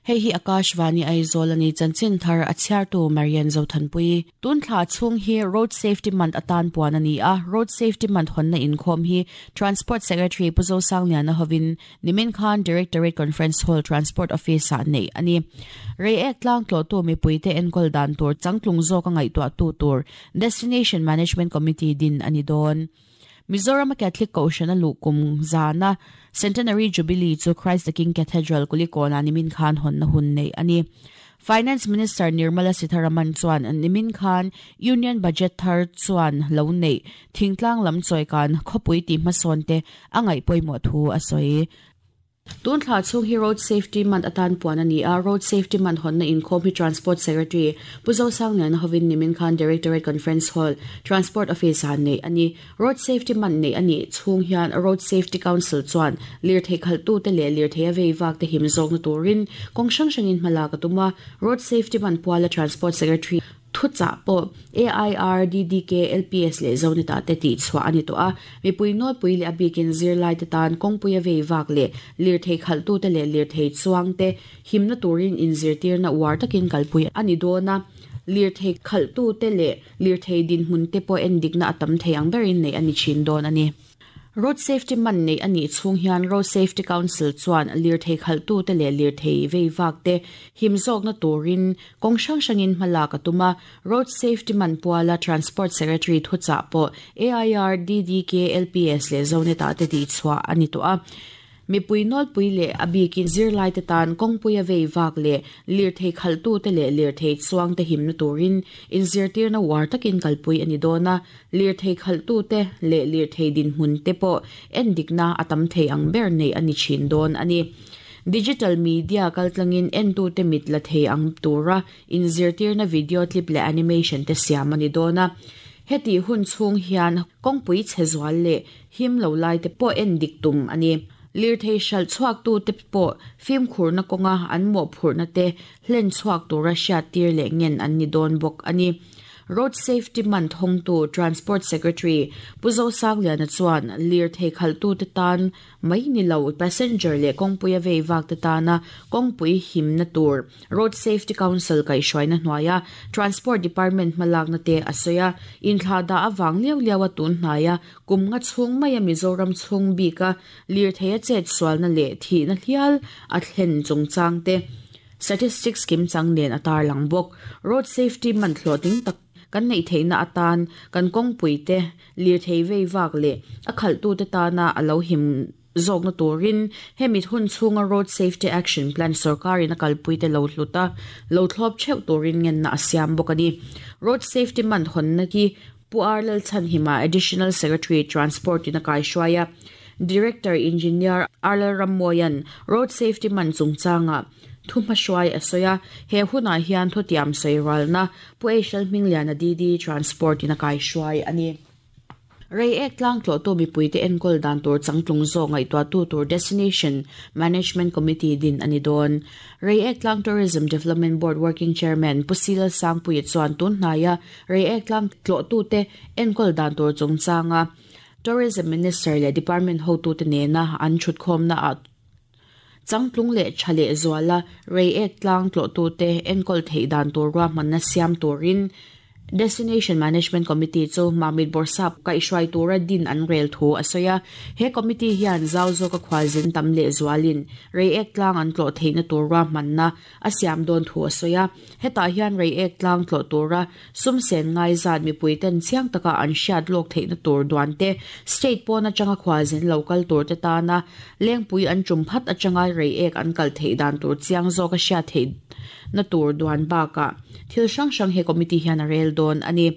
Hei hi Akashvani Aizawl a ni, chanchin thar a chhiartu Marian Zothanpui. Tun thla chhung hi Road Safety Month atan puan a ni a, Road Safety Month hawnna inkhawm hi Transport Secretary Pu Zosangliana hovin nimin khan Directorate Conference Hall Transport Office-ah neih a ni. Reiek tlang tlawhtu mipuite enkawl dan tur changtlung zawka ngaihtuahtu tur Destination Management Committee din a ni dawn. Mizorama Catholic Kohhran a luh kum zana Centenary Jubilee chu Christ the King Cathedral Kulikawnah nimin khan hawnna hun neih a ni. Finance Minister Nirmala Sitharaman chuan nimin khan Union Budget thar chuan lo neih thingtlang lam chawikan khawpui tih hmasawn te a ngaih pawimawh thu a sawi. Tun thla chhung hi Road Safety Month atan puan a ni a, Road Safety Month hawnna inkhawm hi Transport Secretary Pu Zosangliana hovin nimin khan Directorate Conference Hall, Transport Office-ah neih a ni. Road Safety Month neih a nih chhung hian Road Safety Council chuan lirthei khalhtute leh lirthei a vei vakte him zawkna turin kawng hrang hrangin hma lak a tum a, Road Safety Month puala Transport Secretary Thuchah pawh AIR, DDK, LPS leh Zonita te tih chhuah a ni tawh a. Mipui nawlpui leh a bikin zirlaite tan kawngpui a vei vak leh lirthei khalhtute leh lirthei chuangte himna turin inzirtirna uar takin kalpui a ni dawn a. Lirthei khalhtute leh lirthei dinhmunte pawh endikna a tam thei ang berin neih a ni thin dawn a ni. Road Safety man neih a nih chhung hian Road Safety Council chuan lirthei khalhtute leh lirthei vei vakte him zawkna turin kawng hrang hrangin hma lak a tum a. Road Safety man puala Transport Secretary thuchah pawh AIR, DDK, LPS leh Zonet-ah te tihchhuah a ni tawh a. Mipui nawlpui leh a bikin zirlaite tan kawngpui a vei vak leh lirthei khalhtute leh lirthei chuangte himna turin inzirtirna uar takin kalpui a ni dawn a, lirthei khalhtute leh lirthei dinhmunte pawh endikna a tam thei ang ber neih a ni thin dawn a ni. Digital media kaltlangin entute mit la thei ang tura inzirtirna video clip leh animation te siam a ni dawn a. Hetih hun chhung hian kawngpui chhe zual leh Him lo lai te pawh en dik tum a ni. Lirthei hralh chhuaktute pawh fimkhurna kawnga an mawhphurhna te hlen chhuak tura hriattir leh ngen an ni dawn bawk a ni. Road Safety Month hawngtu Transport Secretary Pu Zosangliana chuan lirthei khalhtute tan mai ni lo passenger leh kawngpuia vei vakte tana kawngpui himna tur Road Safety Council kaihhruaina hnuaia Transport Department hmalakna te a sawi a, inthlahdah avang liau liaua tun hnaia kum nga chhung maia Mizoram chhung bika lirthei a chet sualna leh thihna hlial a thlen chungchang te statistics kimchang nen a tarlang bawk. Road Safety man hlawhtling tak kan neih theihna atan kan kawngpui te lirthei vei vak leh a khalhtute tana a lo him zawkna turin hemi hun chhunga Road Safety Action Plan sorkarin a kalpuite lo hlut a, lo thlawp theuh turin ngenna a siam bawk a ni. Road Safety Month hawnna hi Pu R Lalchhanhima, Additional Secretary, Transport in a kaihruai a, Director Engineer R Lalrammawia'n Road Safety Month chungchanga thu hmahruai a sawi a, he hunah hian thutiam sawi ralna Pu Eishal Hmingliana DD, Transport in a kaihruai a ni. Reiek tlang tlawhtu mipuite enkawl dan tur changtlung zawk ngaihtuahtu tur Destination Management Committee din a ni dawn. Reiek Tlang Tourism Development Board Working Chairman Pu Sila Sangpuia chuan tun hnaia Reiek tlang tlawhtute enkawl dan tur chungchanga Tourism Minister leh Department hotute nena an thutkhawmna ah Changtlung leh tha leh zuala Reiek tlang tlawhtute enkawl theih dan tur ruahmanna siam turin Destination Management Committee chu Mamit Bawrhsap kaihhruai tura din an rel thu a sawi a. He committee hian zau zawka khualzin tam leh zualin Reiek tlang an tlawh theihna tur ruahmanna a siam dawn thu a sawi a. Hetah hian Reiek tlang tlawh tura Sum sen ngai zat mipuiten chiang taka an hriat lawk theihna tur duan te, state pawn atanga khualzin lo kal tur te tana lengpui an tum phat atanga reiek an kal theih dan tur chiang zawk a hriat theihna tur duan bakah thil hrang hrang he committee hian a rel dawn a ni.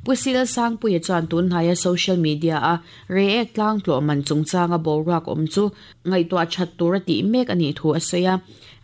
Pu Sil Sangpuia chuan tunhnaia social media a reiek tlang tlawh man chungchanga boruak awm chu ngaihtuah that tur a tih mek a nih thu a sawi a.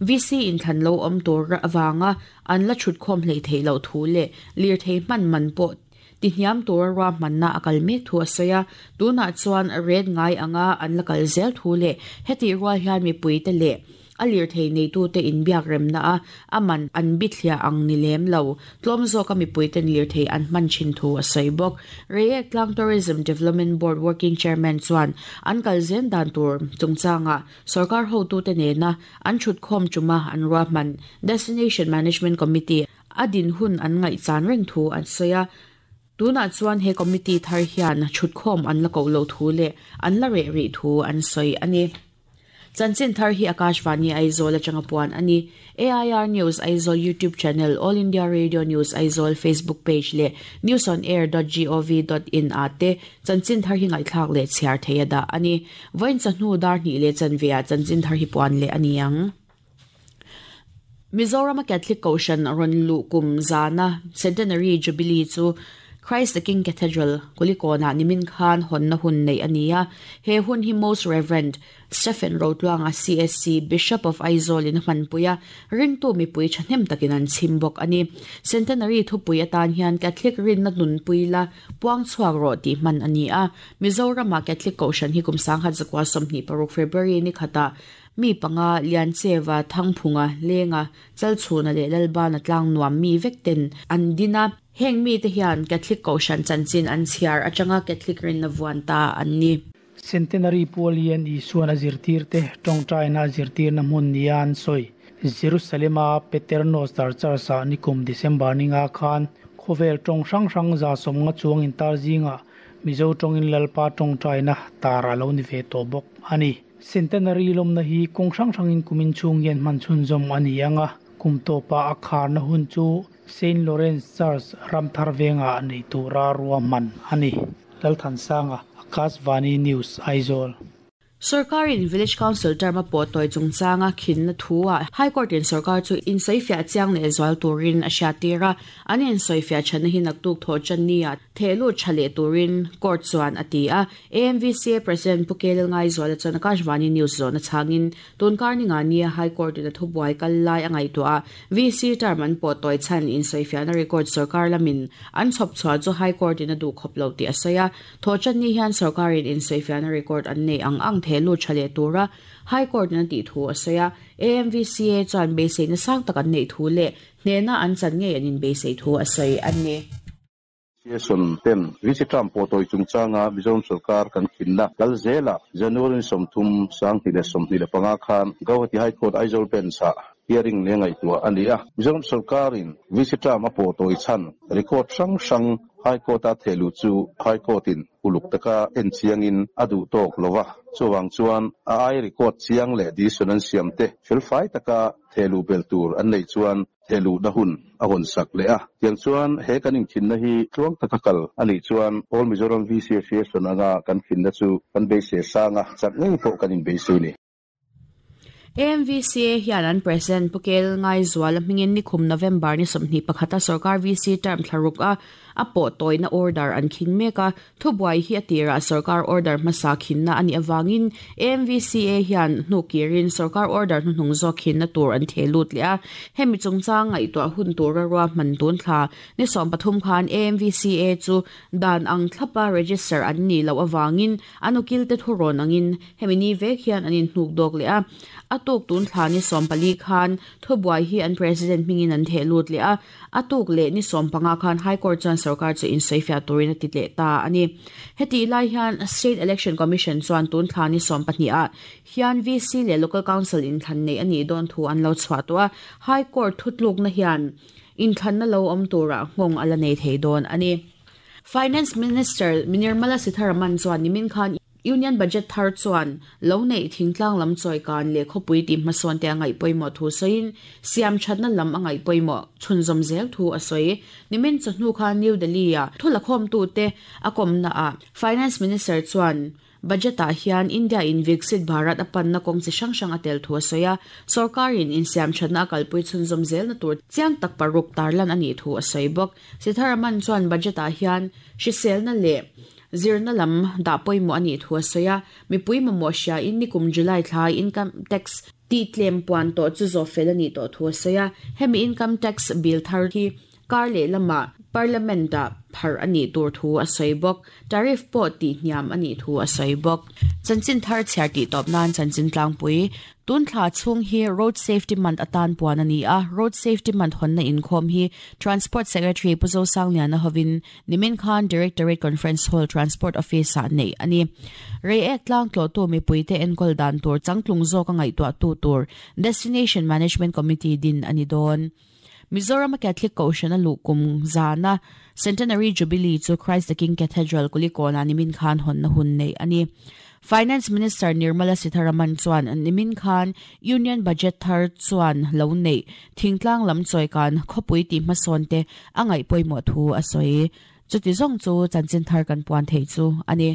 VC inthlan lo awm tur avanga An la chhutkhawm hleih theih loh thu leh lirthei hman man pawh tihniam tura ruahmanna a kal mek thu a sawi a, tunah chuan ret ngai anga an la kal zel thu leh hetih rual hian mipuite leh A lirthei neitute inbiak remna a a man an bithliah ang ni lem lo. Tlawm zawka mipuiten lirthei an hman thin thu a sawi bawk. Reiek Tlang Tourism Development Board Working Chairman chuan an kal zen dan tur chungchangah sorkar hotute nena an thutkhawm tuma an ruahman Destination Management Committee a din hun an ngaihchan reng thu an sawi a. Tunah chuan he committee thar hian thutkhawm an la koh loh thu leh an la reh rih thu an sawi a ni. Chanchin thar hi Akashvani Aizawl atanga puan a ni. AIR News Aizawl YouTube channel, All India Radio News Aizawl Facebook page leh newsonair.gov.in ah te chanchin thar hi ngaihthlak leh chhiar thei a dah a ni. Vawiin chawhnu dar hnih leh chanve ah chanchin thar hi puan leh a ni ang. Mizorama Catholic Kohhran rawn luh kum zana Centenary Jubilee chu Christ the King Cathedral, Kulikawnah nimin khan hawnna hun neih a ni a. He hun hi Most Rev. Stephen Rotluanga CSC, Bishop of Aizawl in a hmanpui a, ringtu mipui thahnem takin an chhim bawk a ni. Centenary thupui atan hian Catholic rinna nunpui la puang chhuak rawh tih hman a ni a. Mizorama Catholic Kohhran hi kum 1926 February ni khatah Mi panga, Liancheva, Thangphunga, Lenga, Chalchhuna leh Lalbana tlang nuam mi vek ten an din a. Heng mite hian Catholic Kohhran chanchin an chhiar atanga Catholic rinna vuan ta an ni. Centenary Pual hian Isuan a zirtirte tawngtaina a zirtirna hmun nia an sawi. Jerusalem-a Paternoster Church-ah nikum December ninga khan khawvel tawng hrang hrang 150 chuang intar zingah Mizo tawngin Lalpa tawngtaina tar a lo ni ve tawh bawk a ni. Centenary lawmna hi kawng hrang hrangin kumin chhung hian hman chhunzawm a ni ang a, kum tawpa a kharna hun chu Saint Lawrence Church Ramthar vengah nei tura ruahman a ni. Lalthansanga, Akashvani News, Aizawl. Sorkarin Village Council term a pawh tawi chungchanga khinna thu-ah High Court-in sorkar chu insawifiah chiang leh zual turin a hriattir a, an insawifiah thatna hi naktuk thawh tan nia Theh lut tha leh turin court chuan a ti a. AMVCA President Pu Kelil Ngaizuala chuan Akashvani News zawhna chhangin tunkar ni nga nia High Court in a thubuai kal lai a ngaihtuah a, VC term an pawh tawi chhan insawifiahna record sorkar lamin an chhawp chhuah chu High Court in a duh khawp lo tih a sawi a. Thawhtanni hian sorkarin insawifiahna record an neih ang ang theh lut tha leh tura High Court in a tih thu a sawi a. AMVCA chuan beiseina sang tak an neih thu leh hnehna an chan ngei an inbeisei thu a sawi a ni. Association ten VC term pawh tawi chungchanga Mizoram sorkar kan khinna kal zelah January 30, 2025 khan Gauhati High Court Aizawl Bench-ah hearing leh ngaihtuah a ni a. Mizoram sorkarin VC term a pawh tawi chhan record hrang hrang High Court-a thehluh chu High Court-in uluk taka en chiangin a duh tawk lo va, chuvang chuan a ai record chiang leh decision an siamte felfai taka thehluh belh tur an neih chuan Thehluhna hun a hawn sak leh a. Tiang chuan he kan inkhinna hi tluang taka kal a nih chuan All Mizoram VC Association anga kan khinna chu kan beisei sang a, chak ngei pawh kan inbeisei ni. AMVCA hian an President Pu Kel Ngaizuala hmingin nikhum November ni 21 a sorkar VC term thlaruk a a pawh tawina order an khing mek a. Thubuai hi a tirah sorkar order hmasa khinna a nih avangin AMVCA hian hnu kirin sorkar order hnuhnung zawk khinna tur an theh lut leh a. Hemi chungchang ngaihtuah hun tura ruahman tun thla ni 13 khan AMVCA chu dan ang thlapa register an nih loh avangin an ukilte thurawn angin hemi ni vek hian an inhnuk dawk leh a. A tuk tun thla ni 14 khan thubuai hi an president hmingin an theh lut leh a. A tuk leh ni 15 khan High Court chuan sorkar chu insawifiah turin a ti leh ta a ni. Hetih lai hian State Election Commission chuan tun thla ni 12 ah hian VC leh Local Council inthlan neih a nih dawn thu an lo chhuah tawh a, High Court thutlukna hian inthlanna lo awm turah nghawng a la nei thei dawn a ni. Finance Minister Nirmala Sitharaman chuan nimin khan Union Budget thar chuan lo neih thingtlang lam chawikan leh khawpui tih hmasawn te a ngaih pawimawh thu sawiin siam thatna lam a ngaih pawimawh chhunzawm zel thu a sawi. Nimin chawhnu khan New Delhi-a thu lakhawmtute a kawmnaah Finance Minister chuan Budget-ah hian India-in Viksit Bharat a panna kawng chi hrang hrang a tel thu a sawi a, sawrkarin insiam thatna a kalpui chhunzawm zelna tur chiang tak paruk tarlan a nih thu a sawi bawk. Sitharaman chuan Budget-ah hian hriselna leh Zirna lam dah pawimawh a nih thu a sawi a, mipui mamawh hriain nikum July thla income tax tih tlem puan tawh chu zawh fel a nih tawh thu a sawi a, hemi income tax bill thar hi kar leh lamah Parliament-ah pharh a nih tur thu a sawi bawk. Tariff pawh tih hniam a nih thu a sawi bawk. Chanchin thar chhiar tih tawp nan chanchin tlangpui. Tun thla chhung hi Road Safety Month atan puan a ni a, Road Safety Month hawnna inkhawm hi Transport Secretary Pu Zosangliana hovin nimin khan Directorate Conference Hall Transport Office-ah neih a ni. Reiek tlang tlawhtu mipuite enkawl dan tur changtlung zawka ngaihtuahtu tur Destination Management Committee din a ni dawn. Mizoram a Catholic Kohhran a luh kum zana Centenary Jubilee chu Christ the King Cathedral Kulikawnah nimin khan hawnna hun neih a ni. Finance Minister Nirmala Sitharaman chuan nimin khan Union Budget thar chuan lo neih thingtlang lam chawikan khawpui tih hmasawn te a ngaih pawimawh thu a sawi. Chuti zawng chu chanchin thar kan puan theih chu a ni.